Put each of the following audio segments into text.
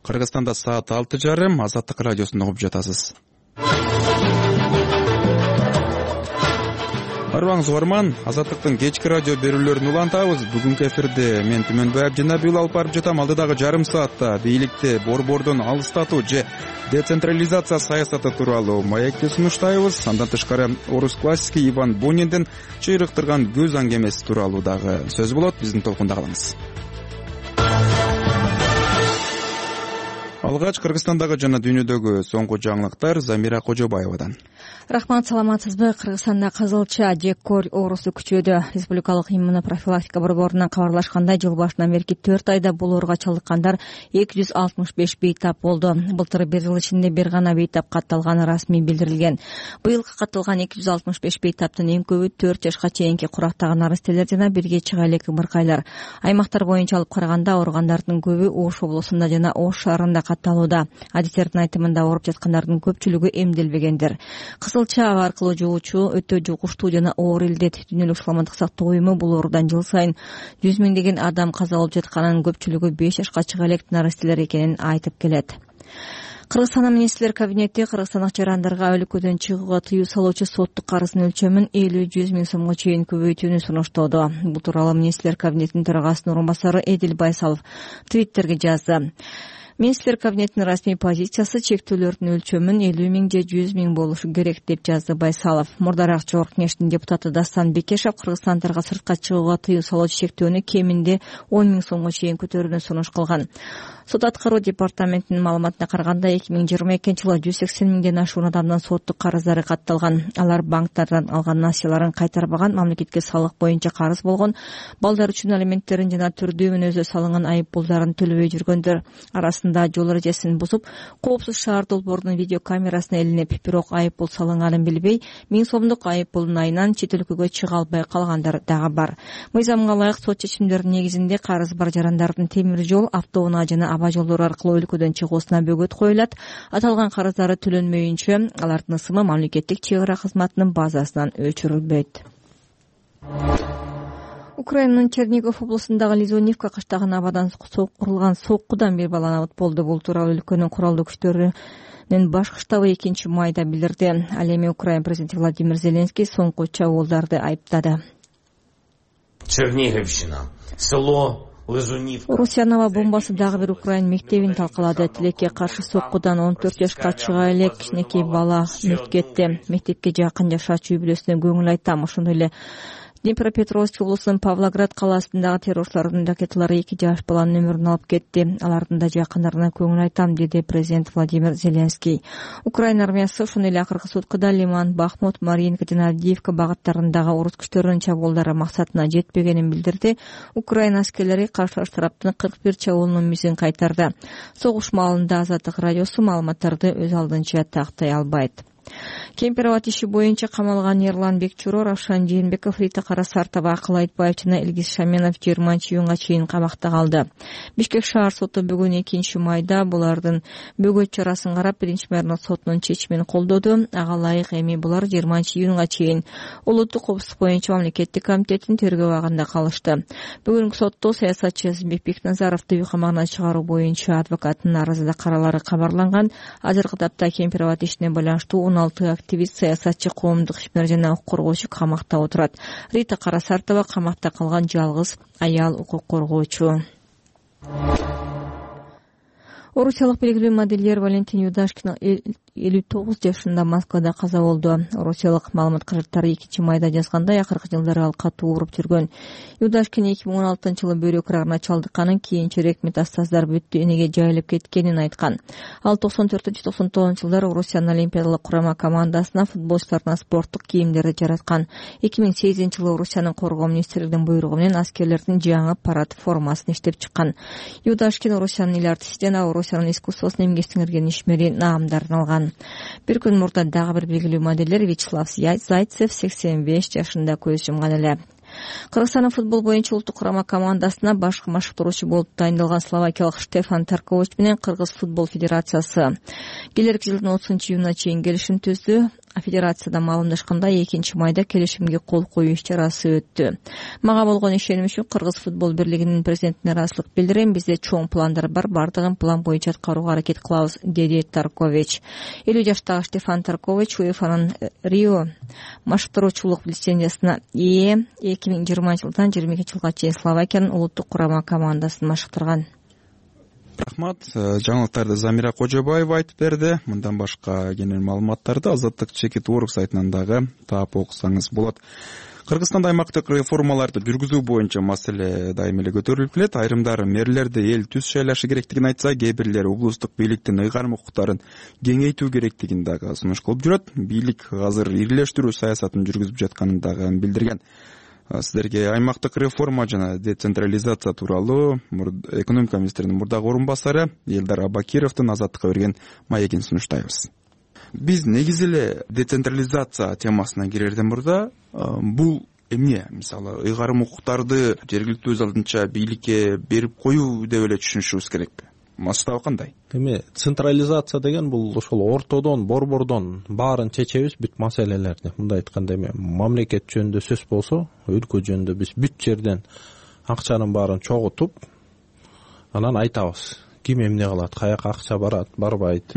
Кыргызстанда саат 6:30. Азаттык радиосунда угуп жатасыз. Арыбаңыз угарман, Азаттыктын кечки радио берүүлөрүн улантабыз. Бүгүнкү эфирде мен Түмөнбай Абдинабиул алып барып жатам. Алдыдагы жарым саатта бийликти борбордон алыстатуу же децентрализация саясаты тууралуу маекти сунуштайбыз. Андан тышкары орус классики Иван Буниндин чыйрыктырган көз аңгемеси тууралуу дагы сөз болот. Биздин толкунда калыңыз. Алгач Кыргызстандагы жана дүйнөдөгү соңку жаңылыктар Замира Кожобаевадан. Рахмат, саламатсызбы? Кыргызстанда кызылча же көл оорусу күчөдү. Республикалык иммунопрофилактика борборунан кабарлашкандай, жыл башынан берки 4 айда бул ооруга чалдыккандар 265 бейтап болду. Былтыр бир жыл ичинде бир гана бейтап катталганы расмий билдирилген. Быйыл катталган 265 бейтаптын эң көбү 4 жашка чейинки курактагы нарастелер жана бирге чыга элек ымыркайлар. Аймактар боюнча алып караганда ооругандардын көбү Ош облусунда жана Ош шаарында катталууда. Адистердин айтымында ооруп жаткандардын көпчүлүгү эмделбегендер. Кызылча аба аркылуу жугуучу өтө жугуштуу жана оор илдет. Дүйнөлүк саламаттык сактоо уюму бул оорудан жыл сайын 100 миңдеген адам каза болуп жатканын, көпчүлүгү 5 жашка чыга элек нарастелер экенин айтып келет. Кыргызстандын министрлер кабинети кыргызстандык жарандарга өлкөдөн чыгууга тыюу салуучу соттук карыздын өлчөмүн 50-100 миң сомго чейин көбөйтүүнү сунуштоодо. Бул тууралуу министрлер кабинетинин төрагасынын орун басары Эдил Байсалов твиттерге жазды. Министрлер кабинетинин расмий позициясы чектөөлөрдүн өлчөмүн 50 миң же 100 миң болушу керек деп жазды Байсалов. Мурдараак Жогорку Кеңештин депутаты Дастан Бекешев кыргызстандыктарга сыртка чыгууга тыюу салуучу чектөөнү кеминде 10 миң сомго чейин көтөрүүнү сунуш кылган. Сот аткаруу департаментинин маалыматына караганда 2022-жылы 180 миңден ашуун адамдын соттук карыздары катталган. Алар банктардан алган насыяларын кайтарбаган, мамлекетке салык боюнча карыз болгон, балдар үчүн алименттерин жана түрдүү мүнөзү салынган айып пулдарын төлөбөй жүргөндөр. Арасында жол эрежесин бузуп, коопсуз шаар долбоорунун видео камерасына илинип, бирок айып пул салынганын билбей, 1000 сомдук айып пулдун айынан чет өлкөгө чыга албай калгандар дагы бар. Мыйзамга ылайык сот чечимдеринин негизинде карыз бар жарандардын темир жол, автоунаа жана аба жолдору аркылуу өлкөдөн чыгуусуна бөгөт коюлат. Аталган карыздары төлөнмөйүнчө алардын ысымы мамлекеттик чек ара кызматынын базасынан өчүрүлбөйт. Украинанын Чернигов облусундагы Лизунивка кыштагына абадан курулган соккудан бир бала абат болду. Бул тууралуу өлкөнүн куралдуу күчтөрүнүн баш штабы 2-майда билдирди. Ал эми Украина президенти Владимир Зеленский соңку чабуулдарды айыптады. Черниговщина, село Русянова бомбасы дагы бир Украин мектебин талкалады. Тилекке каршы соккудан 14 жашка чыга элек кичинекей бала мөрт кетти. Мектепке жакын жашачу үй бүлөсүнө көңүл айтам. Ошондой эле Днепропетровск облусунун Павлоград калаасындагы террорчулардын ракеталары 2 жаш баланын өмүрүн алып кетти. Алардын да жакындарына көңүл айтам, деди президент Владимир Зеленский. Украина армиясы ошондой эле акыркы суткада Лиман, Бахмут, Маринка жана Авдеевка багыттарындагы орус күчтөрүнүн чабуулдары максатына жетпегенин билдирди. Украина аскерлери каршы тараптын 41 чабуулунун мизин кайтарды. Согуш маалында Азаттык радиосу маалыматтарды өз алдынча тактай албайт. Кемпироват иши боюнча камалган Ерлан Бекчуро, Равшан Жээнбеков, Рита Карасартова, Акыл Айтбаев жана Илгиз Шаменов 20-июнга чейин камакта калды. Бишкек шаар соту бүгүн 2-майда булардын бөгөт чарасын карап, 1-майда сотунун чечимин колдоду. Ага ылайык эми булар 20-июнга чейин улуттук коопсуздук боюнча мамлекеттик комитеттин тергөө абагында калышты. Бүгүнкү сотто саясатчы Азимбек Бекназаровду үй камагына чыгаруу боюнча адвокаттын арызда каралары кабарланган. Азыркы тапта Кемпироват ишине байланыштуу 16 активист, саясатчы, коомдук ишмер жана укук коргоочу камакта отурат. Рита Карасартова камакта калган жалгыз аял укук коргоочу. Орусиялык белгилүү модельер Валентин Юдашкин 59 жашында Москвада каза болду. Орусиялык маалымат каражаттары 2-майда жазгандай, акыркы жылдары ал катуу ооруп жүргөн. Юдашкин 2016-жылы бөйрөк рагына чалдыкканын, кийинчерээк метастаздар бүт денеге жайылып кеткенин айткан. Ал 94-99-жылдары Орусиянын олимпиадалык курама командасына футболчуларына спорттук кийимдерди жараткан. 2008-жылы Орусиянын коргоо министрлигинин буйругу менен аскерлердин жаңы парад формасын иштеп чыккан. Юдашкин Орусиянын ил артисти жана Орусиянын искусствосуна эмгек сиңирген ишмери наамдарын алган. Bir gün murda dagы bir белгилүү моделер Вячеслав Зайцев 85 жашында көз жумган эле. Кыргызстандын футбол боюнча улуттук курама командасына баш машыктыруучу болуп тайындалган словакиялык Штефан Таркович менен Кыргыз футбол федерациясы келерки жылдын 30-июнуна чейин келишим түздү. Федерацияда маалымдашкандай 2-майда келишимге кол коюу иш-чарасы өттү. Мага болгон ишеним үчүн Кыргыз футбол бирлигинин президентине ыраазычылык билдирем. Бизде чоң пландар бар, бардыгын план боюнча аткарууга аракет кылабыз, деди Таркович. 50 жаштагы Штефан Таркович УЕФАнын Рио машыктыруучулук лицензиясына ээ 2020 жылдан 22 жылга чейин Словакиянын улуттук курама командасын машыктырган. Рахмат. Жаңылыктарды Замира Кожобаева айтып берди. Мындан башка кенен маалыматтарды Азаттык Чекит.org сайтынан дагы таап окусаңыз болот. Кыргызстанда аймактык реформаларды жүргүзүү боюнча маселе дайым эле көтөрүлүп келет. Айрымдары мэрлерди эл түз шайлашы керектигин айтса, кээ бирлери облустук бийликтин ыйгарым укуктарын кеңейтүү керектигин дагы сунуш кылып жүрөт. Бийлик азыр ирилештирүү саясатын жүргүзүп жатканын дагы билдирген. Сиздерге аймактык реформа жана децентрализация тууралуу экономика министринин мурдагы орун басары Элдар Абакировдун Азаттыкка берген маегин сунуштайбыз. Биз негизи эле децентрализация темасына кирерден мурда бул эмне, мисалы, ыйгарым укуктарды жергиликтүү өз алдынча бийликке берип коюу деп эле түшүнүшүбүз керекпи? Масштабы кандай? Эми централизация деген бул ошол ортодон, борбордон баарын чечебиз бүт маселелерди. Мындай айтканда эми мамлекет жөнүндө сөз болсо, өлкө жөнүндө биз бүт жерден акчанын баарын чогултуп, анан айтабыз. Ким эмне кылат, каяка акча барат, барбайт,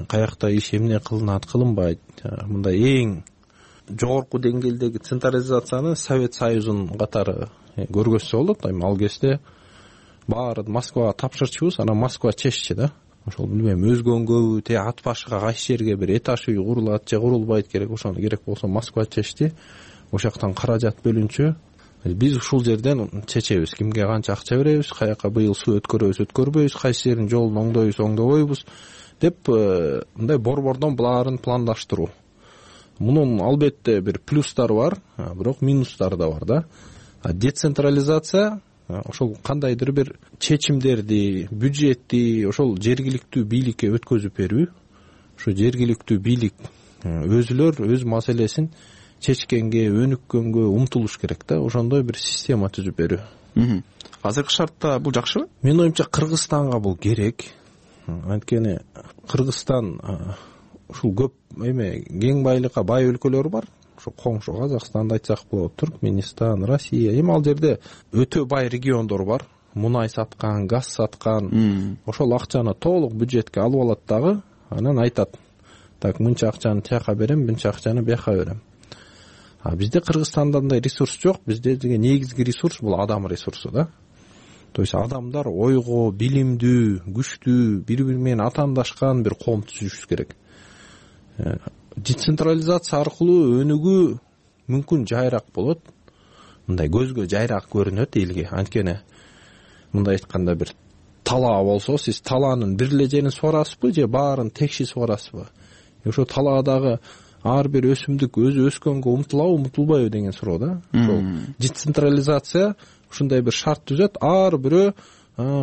каякта иш эмне кылынат, кылынбайт. Мындай эң жогорку деңгээлдеги централизацияны Совет Союзунун катары көргөзсө болот. Ал кезде баарын Москвага тапшырчубуз, анан Москва чеччи да. Ошол билбейм, өзгөнгөбү, ат башыга кайсы жерге бир этаж үй курулат же курулбайт керек, ошону керек болсо Москва чечти. Ошактан каражат бөлүнчү. Биз ушул жерден чечебиз, кимге канча акча беребиз, каяка быйыл суу өткөрөбүз, өткөрбөйбүз, кайсы жердин жолун оңдойбуз, оңдобойбуз деп мындай борбордон буларын пландаштыруу. Мунун албетте бир плюстары бар, бирок минустары да бар да. Децентрализация ошол кандайдыр бир чечимдерди, бюджетти ошол жергиликтүү бийликке өткөзүп берүү. Ошо жергиликтүү бийлик өзүлөр өз маселесин чечкенге, өнүккөнгө умтулуш керек да. Ошондой бир система түзүп берүү. Азыркы шартта бул жакшыбы? Менин оюмча Кыргызстанга бул керек. Анткени Кыргызстан ушул көп кең байлыкка бай өлкөлөр бар. Ошо коңшу Казакстанды айтсак болот, Түркмөнстан, Россия. Эми ал жерде өтө бай региондор бар. Мунай саткан, газ саткан. Ошол акчаны толук бюджетке алып алат дагы, анан айтат: "Так, мынча акчаны тияка берем, мынча акчаны бияка берем." Бизде Кыргызстанда андай ресурс жок. Бизде деген негизги ресурс бул адам ресурсу да. То есть адамдар ойго, билимдүү, күчтүү, бири-бири менен атаандашкан бир коом түзүшүбүз керек. Децентрализация аркылуу өнүгүү мүмкүн жайраак болот. Мындай көзгө жайраак көрүнөт элге. Анткени мындай айтканда бир талаа болсо, сиз талаанын бир эле жерин суарасызбы же баарын текши суарасызбы? Ошо талаадагы ар бир өсүмдүк өзү өскөнгө умтулабы, умтулбайбы деген суроо да. Ошол децентрализация ушундай бир шарт түзөт. Ар бирөө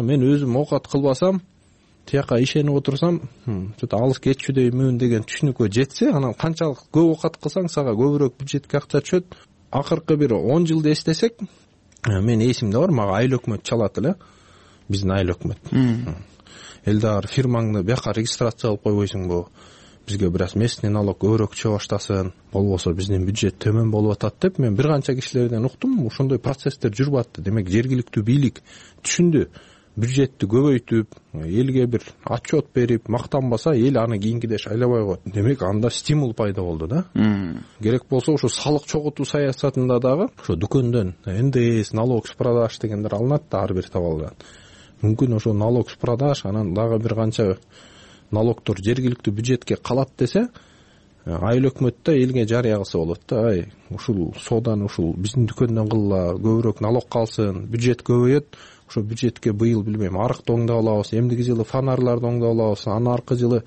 мен өзүм оокат кылбасам, тияка ишенип отурсам, чөтө алыс кетчүдөймүн деген түшүнүккө жетсе, анан канчалык көп оокат кылсаң, сага көбүрөөк бюджетке акча түшөт. Акыркы бир 10 жылды эстесек, мен эсимде бар, мага айыл өкмөт чалат эле. Биздин айыл өкмөт. Элдар, фирмаңды бияка регистрация кылып койбойсуңбу? Бизге бир аз местный налог көбүрөөк түшө баштасын, болбосо биздин бюджет төмөн болуп атат деп мен бир канча кишилерден уктум. Ошондой процесстер жүрүп атты. Демек жергиликтүү бийлик түшүндү. Бюджетти көбөйтүп, элге бир отчет берип, мактанбаса, эл аны кийинкиде шайлабай коет. Демек анда стимул пайда болду да. Керек болсо ошо салык чогултуу саясатында дагы ошо дүкөндөн НДС, налог с продаж дегендер алынат да ар бир табалдан. Мүмкүн ошо налог с продаж, анан дагы бир канча налогдор жергиликтүү бюджетке калат десе, айыл өкмөттө элге жарыя кылса болот да. Ушул соодан ушул биздин дүкөндөн кылла, көбүрөөк налог калсын, бюджет көбөйөт. Ошо бюджетке быйыл билбейм арыкты оңдоп алабыз, эмдиги жылы фонарларды оңдоп алабыз, анан аркы жылы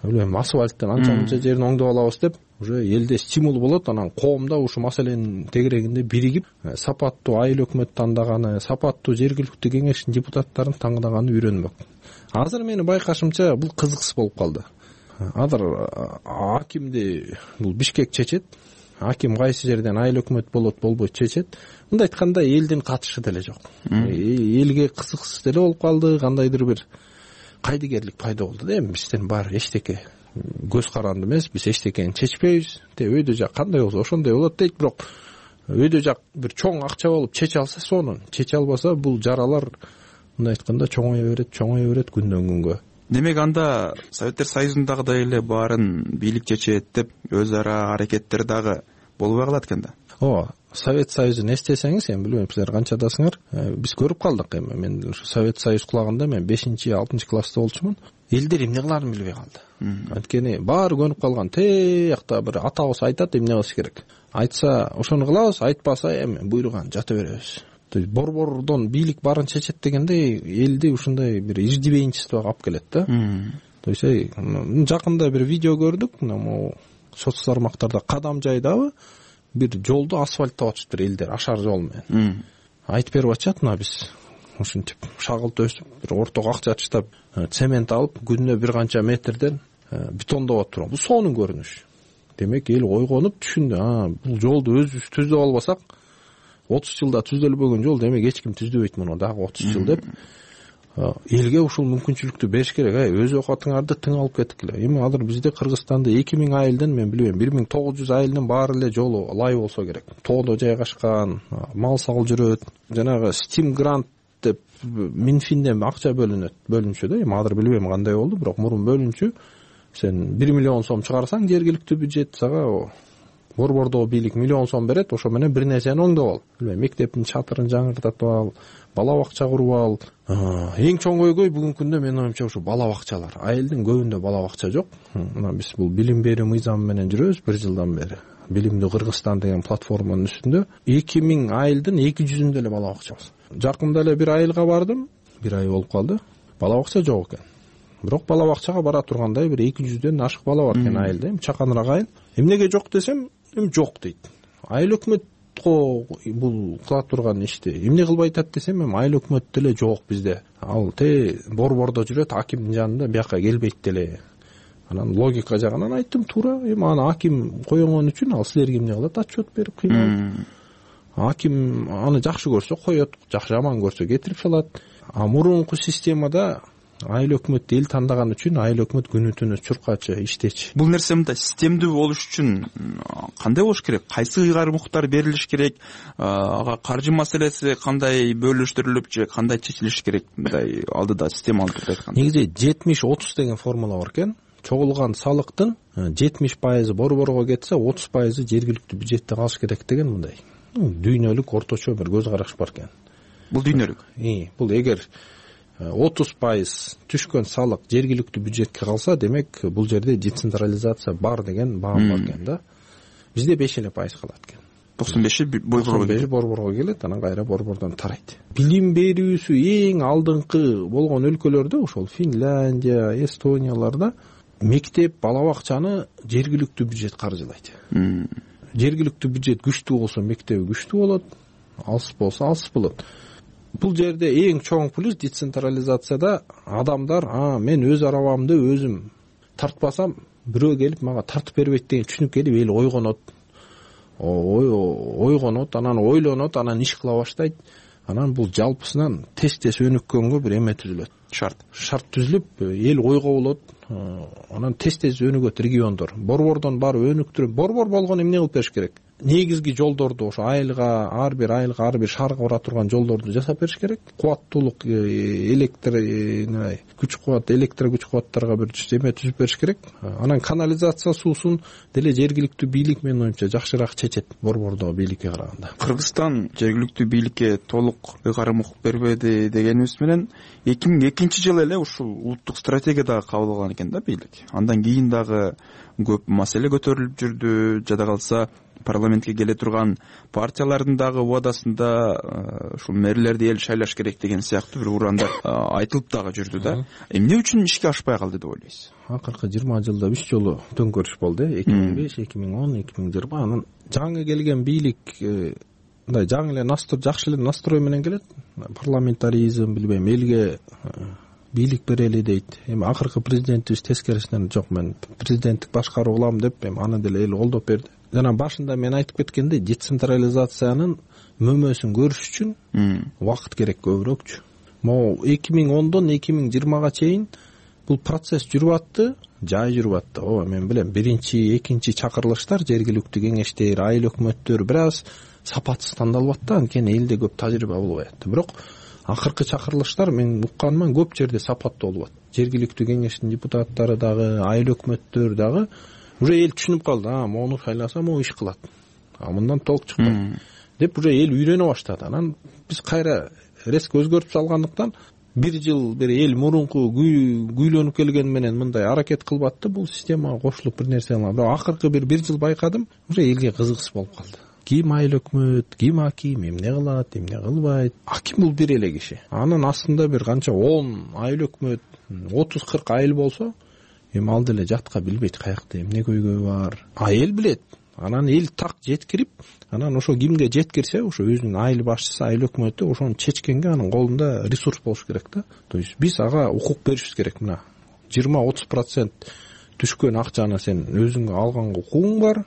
билбейм асфальттын анча-мынча жерин оңдоп алабыз деп уже элде стимул болот. Анан коомдо ушул маселенин тегерегинде биригип, сапаттуу айыл өкмөт тандаганы, сапаттуу жергиликтүү кеңештин депутаттарын тандаганы үйрөнмөк. Азыр менин байкашымча бул кызыксыз болуп калды. Азыр акимди бул Бишкек чечет. Аким кайсы жерден айыл өкмөт болот, болбойт чечет. Мындай айтканда элдин катышы деле жок. Элге кызыксыз деле болуп калды. Кандайдыр бир кайдыгерлик пайда болду да. Эми бизден баары эчтеке көз каранды эмес, биз эчтекени чечпейбиз. Өйдө жак кандай болсо ошондой болот дейт. Бирок өйдө жак бир чоң акча болуп чече алса сонун, чече албаса бул жаралар мындай айтканда чоңое берет күндөн күнгө. Демек анда Советтер Союзундагыдай эле баарын бийлик чечет деп өз ара аракеттер дагы болбой калат экен да. Ооба, Совет Союзун эстесеңиз, эми билбейм силер канчадасыңар, биз көрүп калдык. Эми мен ушу Совет Союз кулаганда мен 5-6 класста болчумун. Элдер эмне кыларын билбей калды. Анткени баары көнүп калган. Тиякта бир атабыз айтат эмне кылыш керек. Айтса ошону кылабыз, айтпаса эми буйруган жата беребиз. Борбордон бийлик баарын чечет дегенде элди ушундай бир иждибейинчествого алып келет да. То есть жакында бир видео көрдүк, могу соц тармактарда Кадам жайдабы бир жолду асфальттап атышыптыр элдер ашар жол менен. Айтып берип атышат, мына биз ушинтип шагыл төсүп, бир ортого акча таштап, цемент алып, күнүнө бир канча метрден бетондоп атып. Бул сонун көрүнүш. Демек эл ойгонуп түшүндү, бул жолду өзүбүз түздөп албасак 30 жылда түзөлбөгөн жол, демек эч ким түздөбөйт муну дагы 30 жыл деп. Элге ушул мүмкүнчүлүктү бериш керек. Өз оокатыңарды тың алып кеткиле. Эми азыр бизде Кыргызстанда 2000 айылдын, мен билбейм, 1900 айылдын баары эле жолу лай болсо керек. Тоодо жайгашкан, мал сал жүрөт. Жанагы Steam Grant деп Минфинден акча бөлүнчү да. Эми азыр билбейм кандай болду, бирок мурун бөлүнчү. Сен 1 миллион сом чыгарсаң жергиликтүү бюджет сага борбордогу бийлик миллион сом берет, ошо менен бир нерсени оңдоп ал. Билбейм, мектептин чатырын жаңыртатып ал, бала бакча куруп ал. Эң чоң көйгөй бүгүнкү күндө менин оюмча ушу бала бакчалар. Айылдын көбүндө бала бакча жок. Мына биз бул билим берүү мыйзамы менен жүрөбүз 1 жылдан бери. Билимдүү Кыргызстан деген платформанын үстүндө 2000 айылдын 200-үндө эле бала бакча бар. Жакында эле бир айылга бардым, 1 ай болуп калды. Бала бакча жок экен. Бирок бала бакчага бара тургандай бир 200дөн ашык бала бар экен айылда. Эми чаканыраак айыл. Эмнеге жок десем, эми жок дейт. Айыл өкмөт бул кыла турган ишти эмне кылбай атат десем, эми айыл өкмөт деле жок бизде. Ал борбордо жүрөт, акимдин жанында бияка келбейт деле. Анан логика жагынан айттым, туура. Эми аны аким койгон үчүн ал силерге эмне кылат? Отчет берип кыйналат. Аким аны жакшы көрсө коет, жаман көрсө кетирип салат. Мурунку системада айыл өкмөт эл тандаган үчүн айыл өкмөт күнү түнү чуркачы, иштечи. Бул нерсе мындай системдүү болуш үчүн кандай болуш керек? Кайсы ыйгарымдыктар берилиш керек? Ага каржы маселеси кандай бөлүштүрүлүп же кандай чечилиш керек? Мындай алдыда системалдуу түрдө айтканда. Негизи 70-30 деген формула бар экен. Чогулган салыктын 70% борборго кетсе, 30% жергиликтүү бюджетте калыш керек деген мындай. Дүйнөлүк орточо бир көз караш бар экен. Бул дүйнөлүк. Бул эгер 30% түшкөн салык жергиликтүү бюджетке калса, демек бул жерде децентрализация бар деген баам бар экен да. Бизде 5% калат экен. 95 борборго келет, анан кайра борбордон тарайт. Билим берүүсү эң алдыңкы болгон өлкөлөрдө, ошол Финляндия, Эстонияларда мектеп, бала бакчаны жергиликтүү бюджет каржылайт. Жергиликтүү бюджет күчтүү болсо мектеби күчтүү болот, алыс болсо алыс болот. Бул жерде эң чоң плюс децентрализацияда адамдар, мен өз арабамды өзүм тартпасам, бирөө келип мага тартып бербейт деген түшүнүк келип эл ойгонот, анан ойлонот, анан иш кыла баштайт. Анан бул жалпысынан тез өнүккөнгө бир эме түзүлөт. Шарт түзүлүп, эл ойго болот, анан тез өнүгөт региондор. Борбордон барып өнүктүрүп, борбор болгон эмне кылып бериш керек? Негизги жолдорду ошо ар бир шаарга бара турган жолдорду жасап бериш керек. Кубаттуулук күч кубаттарга бир эме түзүп бериш керек. Анан канализация суусун деле жергиликтүү бийлик менин оюмча жакшыраак чечет борбордогу бийликке караганда. Кыргызстан жергиликтүү бийликке толук ыйгарым укук бербеди дегенибиз менен 2002-жылы эле ушул улуттук стратегия дагы кабыл алган экен да бийлик. Андан кийин дагы көп маселе көтөрүлүп жүрдү. Жада калса парламентке келе турган партиялардын дагы убадасында ушул мэрлерди эл шайлаш керек деген сыяктуу бир урандар айтылып дагы жүрдү да. Эмне үчүн ишке ашпай калды деп ойлойсуз? Акыркы 20 жылда 3 жолу төңкөрүш болду, 2005, 2010, 2020. Анан жаңы келген бийлик мындай жаңы эле жакшы эле настрой менен келет. Парламентаризм, билбейм, элге бийлик берели дейт. Эми акыркы президентибиз тескерисинен жок, мен президенттик башкаруу кылам деп, эми аны деле эл колдоп берди. Жана башында мен айтып кеткендей, децентрализациянын мөмөсүн көрүш үчүн убакыт керек көбүрөөкчү. Могу 2010дон 2020га чейин бул процесс жүрүп атты, жай жүрүп атты. Ооба, мен билем, биринчи, экинчи чакырылыштар жергиликтүү кеңештер, айыл өкмөттөр бир аз сапатсыз тандалып атты, анткени элде көп тажрыйба болбой атты. Бирок акыркы чакырылыштар мен укканыма көп жерде сапаттуу болуп атты. Жергиликтүү кеңештин депутаттары дагы, айыл өкмөттөр дагы уже эл түшүнүп калды, мону шайласа могу иш кылат, мындан толк чыкпайт деп уже эл үйрөнө баштады. Анан биз кайра резко өзгөртүп салгандыктан бир жыл бир эл мурунку күйлөнүп келген менен мындай аракет кылбатты, бул системага кошулуп бир нерсе кылган. Бирок акыркы бир жыл байкадым, уже элге кызыксыз болуп калды. Ким айыл өкмөт, ким аким, эмне кылат, эмне кылбайт. Аким бул бир эле киши. Анын астында бир канча 10 айыл өкмөт, 30-40 айыл болсо, эми ал деле жатка билбейт каякта эмне көйгөй бар. Эл билет. Анан эл так жеткирип, анан ошо кимге жеткирсе, ошо өзүнүн айыл башчысы, айыл өкмөтү ошону чечкенге анын колунда ресурс болуш керек да. То есть биз ага укук беришибиз керек. Мына 20-30% түшкөн акчаны сен өзүңө алганга укугуң бар.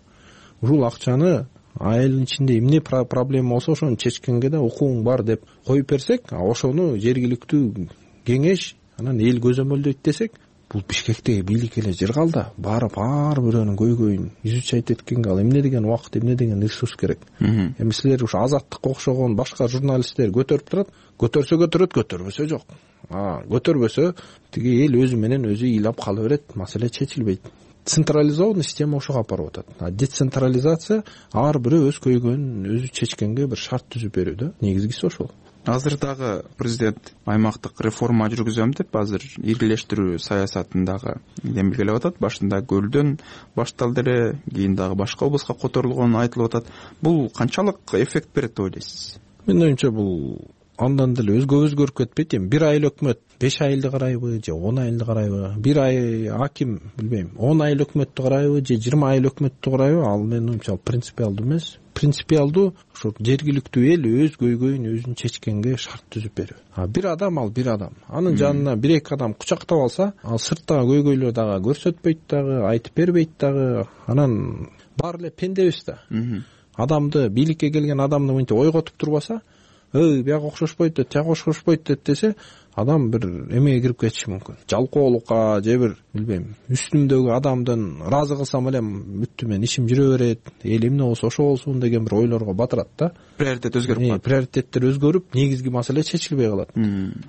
Ушул акчаны айылдын ичинде эмне проблема болсо ошону чечкенге да укугуң бар деп коюп берсек, ошону жергиликтүү кеңеш анан эл көзөмөлдөйт десек, бул Бишкектеги бийлик эле жыргалда барып ар бирөөнүн көйгөйүн изучать эткенге ал эмне деген убакыт, эмне деген ресурс керек. Эми силер ушу Азаттыкка окшогон башка журналисттер көтөрүп турат, көтөрсө көтөрөт, көтөрбөсө жок. Көтөрбөсө тиги эл өзү менен өзү ыйлап кала берет, маселе чечилбейт. Централизованный система ошого алып барып атат. Децентрализация ар бирөө өз көйгөйүн өзү чечкенге бир шарт түзүп берүү да. Негизгиси ошол. Азыр дагы президент аймактык реформа жүргүзөм деп азыр иргилештирүү саясатын дагы демилгелеп атат. Башында Көлдөн башталды эле, кийин дагы башка облуска которулгону айтылып атат. Бул канчалык эффект берет деп ойлойсуз? Менин оюмча бул андан деле өзгөрүп кетпейт. Эми бир айыл өкмөт 5 айылды карайбы же 10 айылды карайбы? Бир аким билбейм 10 айыл өкмөттү карайбы же 20 айыл өкмөттү карайбы? Ал менин оюмча принципиалдуу эмес. Принципиалдуу ошо жергиликтүү эл өз көйгөйүн өзүн чечкенге шарт түзүп берүү. Бир адам ал бир адам. Анын жанына 1-2 адам кучактап алса, ал сырттагы көйгөйлөр дагы көрсөтпөйт дагы, айтып бербейт дагы. Анан баары эле пендебиз да. Адамды, бийликке келген адамды мынтип ойготуп турбаса, бияк окшошпойт, тияк окшошпойт десе, адам бир эмеге кирип кетиши мүмкүн. Жалкоолукка же бир билбейм, үстүмдөгү адамдын ыраазы кылсам эле бүттү, мен ишим жүрө берет, эл эмне болсо ошо болсун деген бир ойлорго батырат да. Приоритет өзгөрүп калат. Приоритеттер өзгөрүп, негизги маселе чечилбей калат.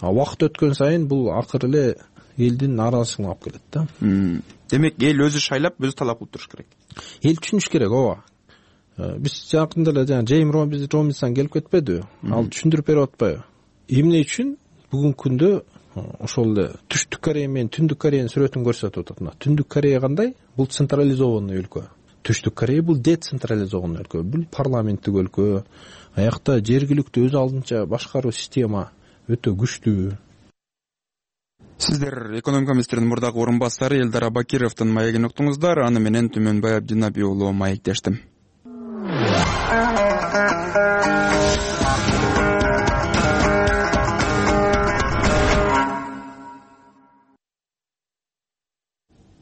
Убакыт өткөн сайын бул акыры эле элдин нааразычылыгына алып келет да. Демек, эл өзү шайлап, өзү талап кылып туруш керек. Эл түшүнүш керек, ооба. Биз жакында эле Джейм Робинсон келип кетпедиби? Ал түшүндүрүп берип атпайбы? Эмне үчүн бүгүнкү күндө ошол эле Түштүк Корея менен Түндүк Кореянын сүрөтүн көрсөтүп атат. Мына Түндүк Корея кандай? Бул централизованный өлкө. Түштүк Корея бул децентрализованный өлкө. Бул парламенттик өлкө. Аякта жергиликтүү өз алдынча башкаруу система өтө күчтүү. Сиздер экономика министринин мурдагы орун басары Элдар Абакировдун маегин уктуңуздар. Аны менен Түмөнбай Абдинаби уулу маектештим.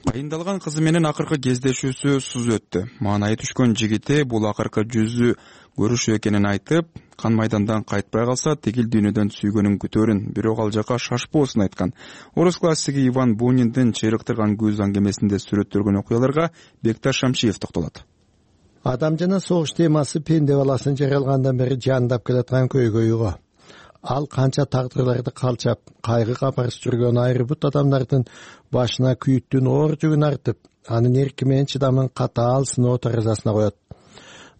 Кайындалган кызы менен акыркы кездешүүсү суз өттү. Маанайы түшкөн жигити бул акыркы жүзү көрүшүү экенин айтып, кан майдандан кайтпай калса, тигил дүйнөдөн сүйгөнүн күтөрүн, бирок ал жака шашпоосун айткан. Орус классиги Иван Буниндин чыйрыктырган көз аңгемесинде сүрөттөлгөн окуяларга Бекташ Шамшиев токтолот. Адам жана согуш темасы пенде баласын жаралгандан бери жандап келаткан көйгөй го. Ал канча тагдырларды калчап, кайгы капарыс жүргөн айры бут адамдардын башына күйүттүн оор жүгүн артып, анын эрки менен чыдамын катаал сыноо таразасына коет.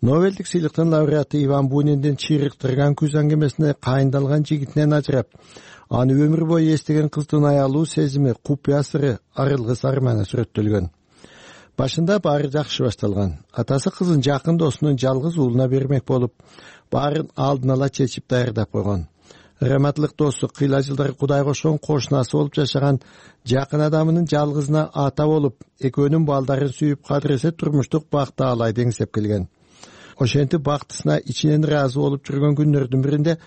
Нобелдик сыйлыктын лауреаты Иван Буниндин чыйрыктырган күз аңгемесине кайындалган жигитинен ажырап, аны өмүр бою эстеген кыздын аялуу сезими, купуя сыры, арылгыс арманы сүрөттөлгөн. Башында баары жакшы башталган. Атасы кызын жакын досунун жалгыз уулуна бермек болуп, баарын алдын ала чечип даярдап койгон. Раматлык досу кыйла жылдар Кудай кошкон кошунасы болуп жашаган жакын адамынын жалгызына ата болуп, экөөнүн балдарын сүйүп кадыресе турмуштук бакты алай деңсеп келген. Ошентип бактысына ичинен ыраазы болуп жүргөн күндөрдүн биринде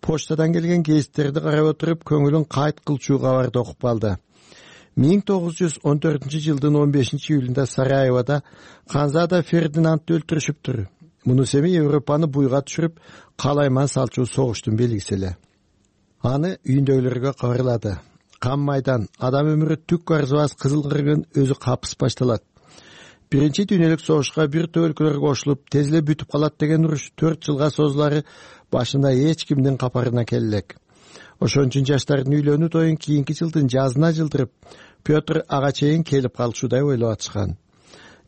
почтадан келген гезиттерди карап отуруп, көңүлүн кайт кылчу кабарды окуп калды. 1914 жылдын 15 июлунда Сараевода Ханзада Фердинандты өлтүрүшүптүр. Мунус эми Европаны буйга түшүрүп, калайман салчу согуштун белгиси эле. Аны үйүндөгүлөргө кабарлады. кан майдан, адам өмүрү түк арзыбас кызыл кыргын өзү капыс башталат. Биринчи дүйнөлүк согушка бир топ өлкөлөр кошулуп, тез эле бүтүп калат деген уруш 4 жылга созулары башында эч кимдин капарына келе элек. Ошон үчүн жаштардын үйлөнүү тоюн кийинки жылдын жазына жылдырып, Петр ага чейин келип калышуудай ойлоп атышкан.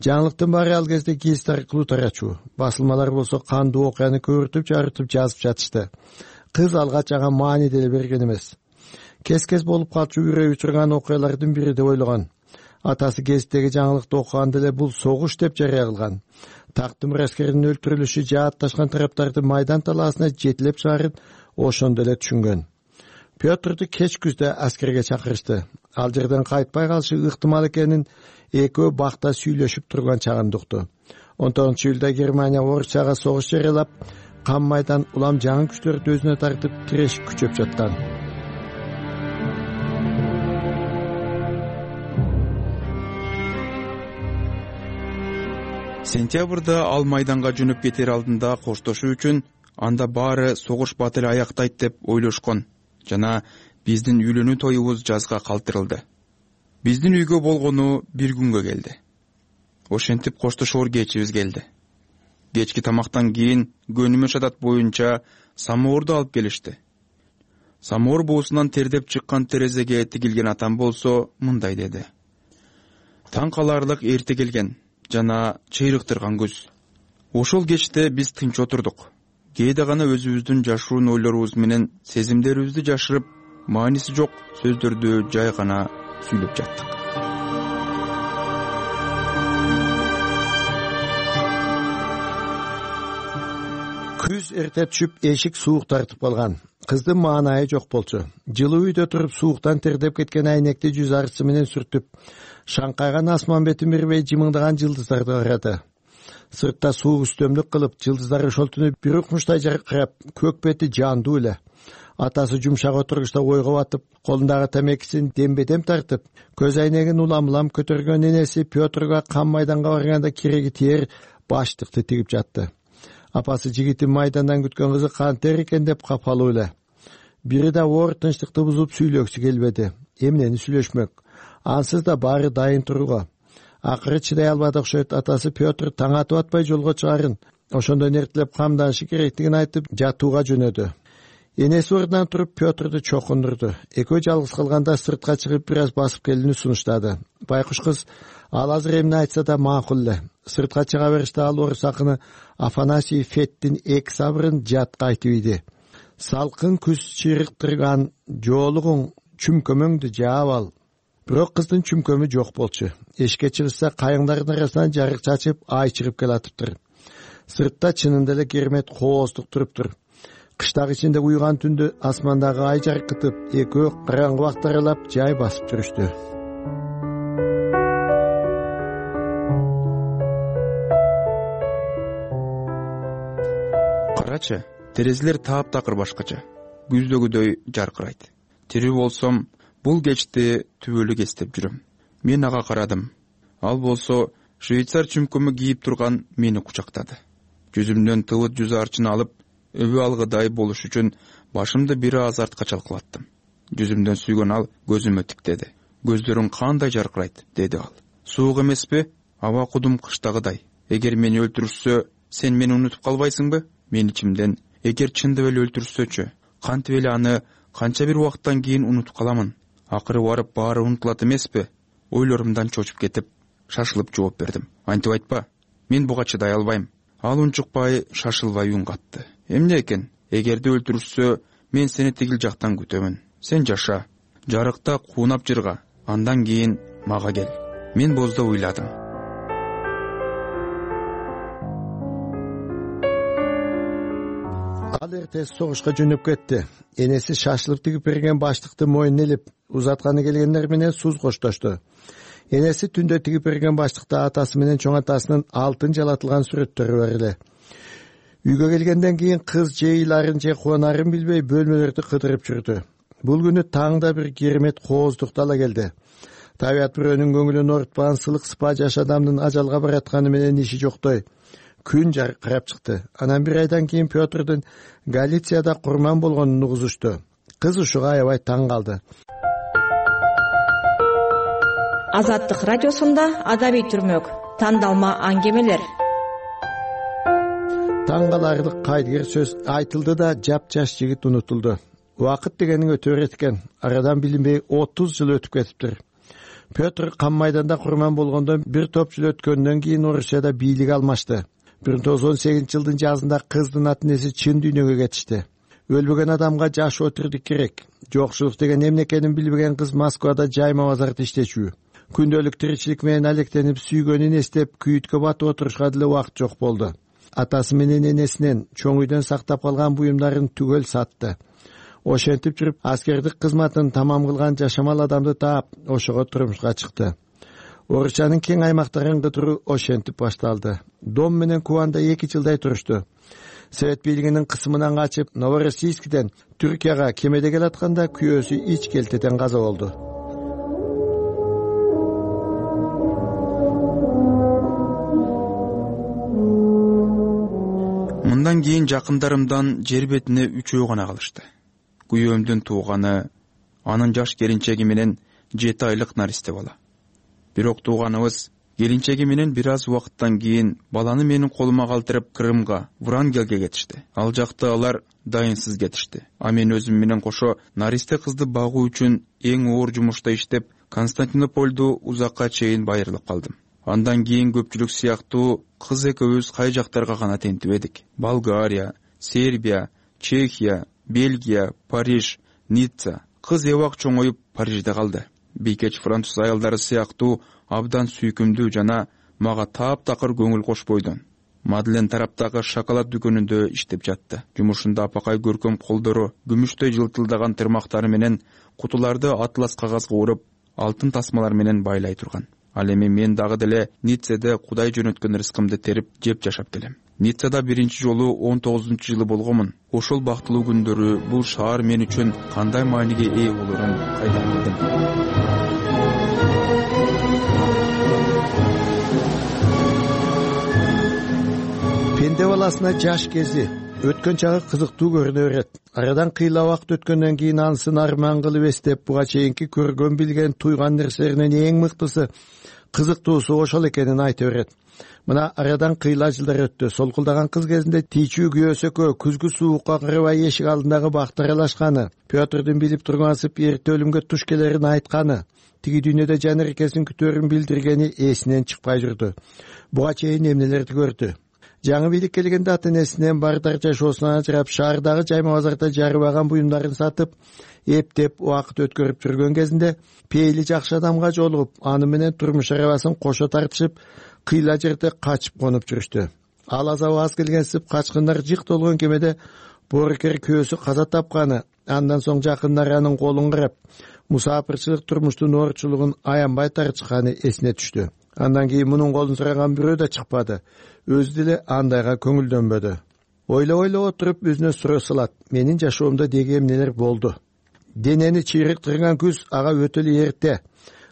Жаңылыктын баары ал кезде гезит аркылуу тарачу. Басылмалар болсо кандуу окуяны көбүртүп жарытып жазып жатышты. Кыз алгач ага маани деле берген эмес. Кес-кес болуп калчу үрөй учурган окуялардын бири деп ойлогон. Атасы гезиттеги жаңылыкты окуганда эле бул согуш деп жарыя кылган. Тактын аскеринин өлтүрүлүшү жаатташкан тараптарды майдан талаасына жетилеп чыгарын ошондо эле түшүнгөн. Петрду кеч күздө аскерге чакырышты. Ал жерден кайтпай калышы ыктымал экенин экөө бакта сүйлөшүп турган чагында укту. 19-июлда Германия Орусияга согуш жарыялап, кан майдан улам жаңы күчтөрдү өзүнө тартып тиреш күчөп жаткан. Сентябрда ал майданга жөнөп кетер алдында коштошуу үчүн анда баары согуш бат эле аяктайт деп ойлошкон жана биздин үйлөнүү тоюбуз жазга калтырылды. Биздин үйгө болгону бир күнгө келди. Ошентип коштошоор кечибиз келди. Кечки тамактан кийин көнүмүш адат боюнча самоорду алып келишти. Самоор буусунан тердеп чыккан терезеге тигилген атам болсо мындай деди: таң каларлык эрте келген жана чыйрыктырган күз. Ошол кечте биз тынч отурдук. Кээде гана өзүбүздүн жашыруун ойлорубуз менен сезимдерибизди жашырып, мааниси жок сөздөрдү жай гана сүйлөп жаттык. Күз эрте түшүп, эшик суук тартып калган. Кыздын маанайы жок болчу. Жылуу үйдө туруп сууктан тердеп кеткен айнекти жүз арысы менен сүртүп, шаңкайган асман бетин бербей жымыңдаган жылдыздарды карады. Сыртта суук үстөмдүк кылып, жылдыздар ошол түнү бир укмуштай жаркырап, көк бети жандуу эле. Атасы жумшак отургучта ойго батып, колундагы тамекисин дембедем тартып, көз айнегин улам-улам көтөргөн энеси Петрга кан майданга барганда кереги тиер баштыкты тигип жатты. Апасы жигитин майдандан күткөн кызы кантер экен деп капалуу эле. Бири да оор тынчтыкты бузуп сүйлөгүсү келбеди. Эмнени сүйлөшмөк? Ансыз да баары дайын турууга. Акыры чыдай албады окшойт. Атасы Петр таң атып атпай жолго чыгарын, ошондон эртелеп камданышы керектигин айтып, жатууга жөнөдү. Энеси ордунан туруп Петрду чокундурду. Экөө жалгыз калганда сыртка чыгып бир аз басып келүүнү сунуштады. Байкуш кыз ал азыр эмне айтса да макул эле. Сыртка чыга бериште ал орус акыны Афанасий Феттин эки сабырын жатка айтып ийди. Салкын күз чыйрыктырган жоолугуң чүмкөмөңдү жаап ал. Бирок кыздын чүмкөмү жок болчу. Эшикке чыгышса кайыңдардын арасынан жарык чачып ай чыгып келатыптыр. Сыртта чынында эле кермет кооздук туруптур. Кыштак ичинде уйган түндө асмандагы ай жаркытып, экөө караңгы бакты аралап жай басып жүрүштү. Карачы, терезелер таап-такыр башкача, күздөгүдөй жаркырайт. Тирүү болсом, бул кечти түбөлүк эстеп жүрөм. Мен ага карадым. Ал болсо швейцар чүмкөмү кийип турган мени кучактады. Жүзүмдөн тыбыт жүз арчын алып, өбү алгыдай болуш үчүн башымды бир аз артка чалкалаттым. Жүзүмдөн сүйгөн ал көзүмө тиктеди. Көздөрүң кандай жаркырайт, деди ал. Суук эмеспи? Аба кудум кыштагыдай. Эгер мени өлтүрүшсө, сен мени унутуп калбайсыңбы? Мен ичимден, эгер чындап эле өлтүрүшсөчү, кантип эле аны канча бир убакыттан кийин унутуп каламын? Акыры барып баары унутулат эмеспи? Ойлорумдан чочуп кетип, шашылып жооп бердим. Антип айтпа, мен буга чыдай албайм. Ал унчукпай, шашылбай үн катты. Эмне экен? Эгерде өлтүрүшсө, мен сени тигил жактан күтөмүн. Сен жаша. Жарыкта куунап жырга. Андан кийин мага кел. Мен боздо уйладым. Ал эртеси согушка жөнөп кетти. Энеси шашылып тигип берген баштыкты мойнуна илип, узатканы келгендер менен суз коштошту. Энеси түндө тигип берген баштыкта атасы менен чоң атасынын алтын жалатылган сүрөттөрү бар эле. Үйгө келгенден кийин кыз же ыйларын же кубанарын билбей бөлмөлөрдү кыдырып жүрдү. Бул күнү таңда бир кермет кооздукту ала келди. Табият бирөөнүн көңүлүн оорутпаган сылык сыпа жаш адамдын ажалга баратканы менен иши жоктой. Күн жаркырап чыкты. Анан бир айдан кийин Петрдун Галицияда курман болгонун угузушту. Кыз ушуга аябай таң калды. Азаттык радиосунда адабий түрмөк тандалма аңгемелер. Таң каларлык кайдыгер сөз айтылды да жап-жаш жигит унутулду. Убакыт дегенин өтө берет экен. Арадан билинбей 30 жыл өтүп кетиптир. Петр Кан майданда курман болгондон бир топ жыл өткөндөн кийин Орусияда бийлик алмашты. 1918-жылдын жазында кыздын ата-энеси чын дүйнөгө кетишти. Өлбөгөн адамга жашоо тирдик керек. Жокчулук деген эмне экенин билбеген кыз Москвада жайма базарда иштечү. Күндөлүк тиричилик менен алектенип сүйгөнүн эстеп күйүткө батып отурушка деле убакыт жок болду. Атасы менен энесинен чоң үйдөн сактап калган буюмдарын түгөл сатты. Ошентип жүрүп аскердик кызматын тамам кылган жашамал адамды таап, ошого турмушка чыкты. Орусиянын кең аймактарын кыдыруу ошентип башталды. Дом менен Кубанда 2 жылдай турушту. Совет бийлигинин кысымынан качып, Новороссийскден Түркияга кемеде келатканда күйөөсү ич келтеден каза болду. Мындан кийин жакындарымдан жер бетине 3 гана калышты. Күйөөмдүн тууганы, анын жаш келинчеги менен 7 айлык наристе бала. Бирок тууганыбыз келинчеги менен бир аз убакыттан кийин баланы менин колума калтырып Крымга, Врангелге кетишти. Ал жакта алар дайынсыз кетишти. А мен өзүм менен кошо наристе кызды багуу үчүн эң оор жумушта иштеп, Константинополду узакка чейин байырылып калдым. Андан кийин көпчүлүк сыяктуу кыз экөөбүз кай жактарга гана тентибедик. Болгария, Сербия, Чехия, Бельгия, Париж, Ницца. Кыз эбак чоңоюп Парижде калды. Бийкеч француз аялдары сыяктуу абдан сүйкүмдүү жана мага таап-такыр көңүл кошпойдон. Мадлен тараптагы шоколад дүкөнүндө иштеп жатты. Жумушунда апакай көркөм колдору, күмүштөй жылтылдаган тырмактары менен кутуларды атлас кагазга уруп, алтын тасмалар менен байлай турган. Ал эми мен дагы деле Ниццеде Кудай жөнөткөн рызкымды терип жеп жашап келем. Ниццада биринчи жолу 19-жылы болгомун. Ошол бактылуу күндөрү бул шаар мен үчүн кандай мааниге ээ болорун кайдан билдим. Пенде баласына жаш кези өткөн чагы кызыктуу көрүнө берет. Арадан кыйла убакыт өткөндөн кийин анысын арман кылып эстеп, буга чейинки көргөн билген туйган нерселеринин эң мыктысы, кызыктуусу ошол экенин айта берет. Мына арадан кыйла жылдар өттү. Солкулдаган кыз кезинде тийчүү күйөөсү экөө күзгү суукка кырбай эшик алдындагы бакты аралашканы, Петрдин билип тургансып эрте өлүмгө туш келерин айтканы, тиги дүйнөдө жанеркесин күтөөрүн билдиргени эсинен чыкпай жүрдү. Буга чейин эмнелерди көрдү. Жаңы бийлик келгенде ата-энесинен бардар жашоосунан ажырап, шаардагы жайма базарда жарыбаган буюмдарын сатып, эптеп убакыт өткөрүп жүргөн кезинде пейили жакшы адамга жолугуп, аны менен турмуш арабасын кошо тартышып, кыйла жерде качып конуп жүрүштү. Ал азабы аз келгенсип, качкындар жык толгон кемеде боорукер күйөөсү каза тапканы, андан соң жакындар анын колун карап, мусафирчилик турмуштун оорчулугун аянбай тартышканы эсине түштү. Андан кийин мунун колун сураган бирөө да чыкпады. Өзү деле андайга көңүлдөнбөдү. Ойлоп отуруп өзүнө суроо салат. Менин жашоомдо деги эмнелер болду? Денени чыйрыктырган күз ага өтө эле эрте.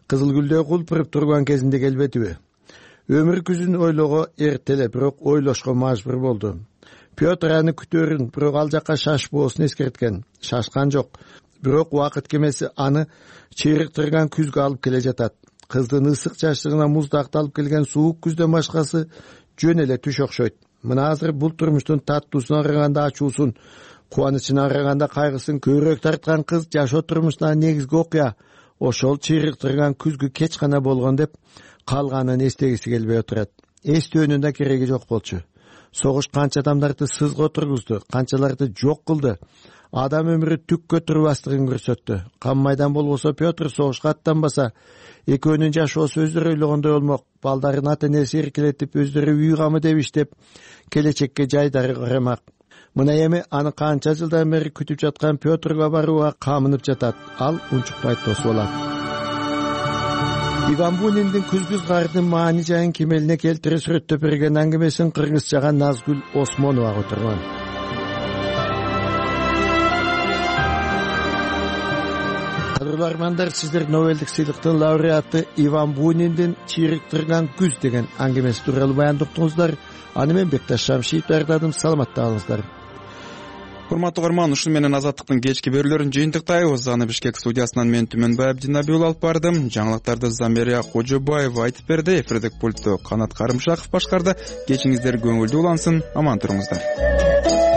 Кызыл гүлдөй кулпуруп турган кезинде келбедиби? Өмүр күзүн ойлого эрте эле, бирок ойлошко мажбур болду. Петр аны күтөөрүн, бирок ал жакка шашпоосун эскерткен. Шашкан жок. Бирок убакыт кемеси аны чыйрыктырган күзгө алып келе жатат. Кыздын ысык жаштыгына муздакты алып келген суук күздөн башкасы жөн эле түш окшойт. Мына азыр бул турмуштун таттуусуна караганда ачуусун, кубанычына караганда кайгысын көбүрөөк тарткан кыз жашоо турмушундагы негизги окуя ошол чыйрыктырган күзгү кеч гана болгон деп калганын эстегиси келбей отурат. Эстөөнүн да кереги жок болчу. Согуш канча адамдарды сызга отургузду, канчаларды жок кылды. Адам өмүрү түккө турбастыгын көрсөттү. Кан майдан болбосо Петр согушка аттанбаса, экөөнүн жашоосу өздөрү ойлогондой болмок. Балдарын ата-энеси эркелетип, өздөрү үй камы деп иштеп, келечекке жайдары карамак. Мына эми аны канча жылдан бери күтүп жаткан Петрга барууга камынып жатат. Ал унчукпай тосуп алат. Иван Буниндин күзгү кардын маани жайын кемелине келтире сүрөттөп берген аңгемесин кыргызчага Назгүл Осмонова которгон. Кадырлуу армандар, сиздер Нобелдик сыйлыктын лауреаты Иван Буниндин «Чыйрыктырган күз» деген аңгемеси тууралуу баяндап уктуңуздар. Аны мен Бекташ Шамшиев даярдадым. Саламатта калыңыздар. урматтуу угарман, ушуну менен Азаттыктын кечки берүүлөрүн жыйынтыктайбыз. Аны Бишкек студиясынан мен Түмөнбай Абдинабиул алып бардым. Жаңылыктарды Замирия Кожобаева айтып берди. Эфирдик пультту Канат Карымшаков башкарды. Кечиңиздер көңүлдүү улансын, аман туруңуздар.